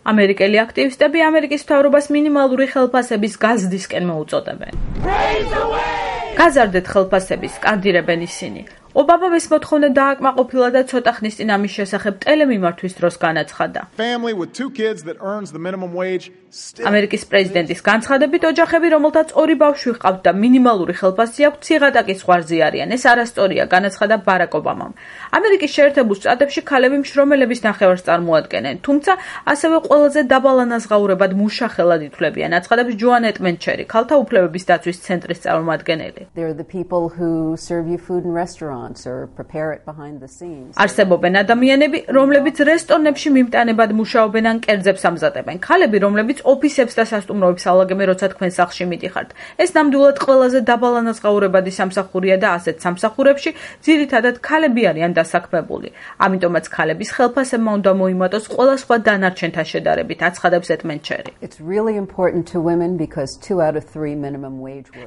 ამერიკელი აქტივისტები ამერიკის მთავრობას მინიმალური ხელფასების გაზრდისკენ მოუწოდებენ. გაზარდეთ ხელფასების, სკანდირებენ ისინი. ობამამ ეს მოთხოვნა დააკმაყოფილა და ცოტა ხნის წინ ამის შესახებ ტელემიმართვის დროს განაცხადა. ამერიკის პრეზიდენტის განცხადებით, ოჯახები, რომელთაც 2 ბავშვი ჰყავთ და მინიმალური ხელფასი აქვთ, ციღატაკის ზღვარზე არიან. ეს არასწორია, განაცხადა ბარაკ ობამამ. ამერიკის შეერთებულ შტატებში ქალები მშრომელების ნახევარს წარმოადგენენ, თუმცა ასევე ყველაზე დაბალ ანაზღაურებად მუშახელად ითვლებიან, აცხადებს ჯოან ეტმენჩერი, ქალთა უფლებების დაცვის ცენტრის წარმომადგენელი. არსებობენ ადამიანები, რომლებიც რესტორნებში მიმტანებად მუშაობენ ან კერძებს ამზადებენ. ქალები, რომლებიც ოფისებს და სასტუმროებს ალაგებენ, როცა თქვენ სახლში მიდიხართ. ეს ნამდვილად ყველაზე დაბალ ანაზღაურებადი სამსახურია და ასეთ სამსახურებში ძირითადად ქალები არიან დასაქმებული. ამიტომაც ქალების ხელფასებმა უნდა მოიმატოს ყველა სხვა დანარჩენთან შედარებით, აცხადებს ეტმენჩერი.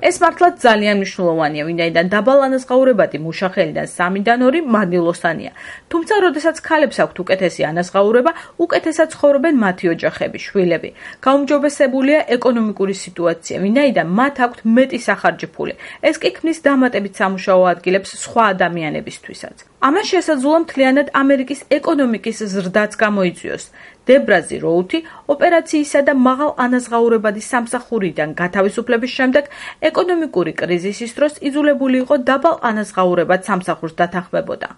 ეს მართლაც ძალიან მნიშვნელოვანია, ვინაიდან დაბალ ანაზღაურებადი მუშახელიდან 3-დან 2 მადნილოსანია. თუმცა, როდესაც ქალებს აქვთ უკეთესი ანაზღაურება, უკეთესად ცხოვრობენ მათი ოჯახები, შვილები. გაუმჯობესებულია ეკონომიკური სიტუაცია, ვინაიდან მათ აქვთ მეტი სახარჯი ფული. ეს კი ქმნის დამატებით სამუშაო ადგილებს სხვა ადამიანებისთვისაც. ამან შესაძლოა მთლიანად ამერიკის ეკონომიკის ზრდაც გამოიწვიოს. დებრაზი როუთი ოპერაციისა და მაღალ ანაზღაურებადი სამსახურიდან გათავისუფლების შემდეგ ეკონომიკური კრიზისის დროს იძულებული იყო დაბალ ანაზღაურებად სამსახურს დათანხმებოდა.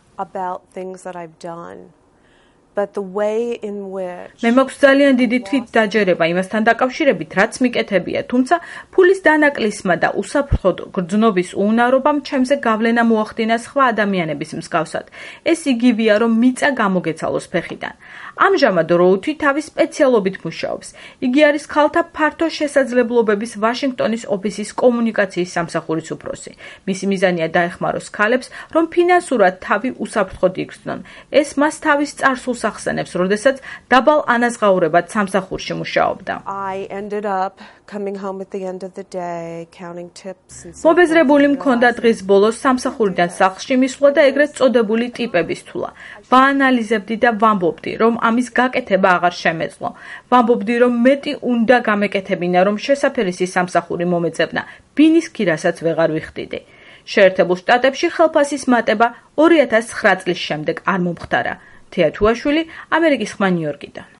მე მაქვს ძალიან დიდი თვითდაჯერება იმასთან დაკავშირებით, რაც მიკეთებია, თუმცა ფულის დანაკლისმა და უსაფრთხოდ გრძნობის უუნარობამ ჩემზე გავლენა მოახდინა სხვა ადამიანების მსგავსად. ეს იგივეა, რომ მიწა გამოგეცალოს ფეხიდან. ამჟამად როუთი თავის სპეციალობით მუშაობს. იგი არის ქალთა ფართო შესაძლებლობების ვაშინგტონის ოფისის კომუნიკაციის სამსახურის უფროსი. მისი მიზანია დაეხმაროს ქალებს, რომ ფინანსურად თავი უსაფრთხოდ იგრძნონ. ეს მას თავის წარსულს ახსენებს, როდესაც დაბალ ანაზღაურებად სამსახურში მუშაობდა. მობეზრებული მქონდა დღის ბოლოს სამსახურიდან სახლში მისვლა და ეგრეთ წოდებული ტიპების თვლა. ვაანალიზებდი და ვამბობდი, რომ ამის გაკეთება აღარ შემეძლო. ვამბობდი, რომ მეტი უნდა გამეკეთებინა, რომ შესაფერისი სამსახური მომეწევნა, ბინის ქირასაც ვეღარ ვიხდიდი. შეერთებულ შტატებში ხელფასის მატება 2009 წლის შემდეგ არ მომხდარა. თეა თუაშვილი, ამერიკის ხმა ნიუ-იორკიდან.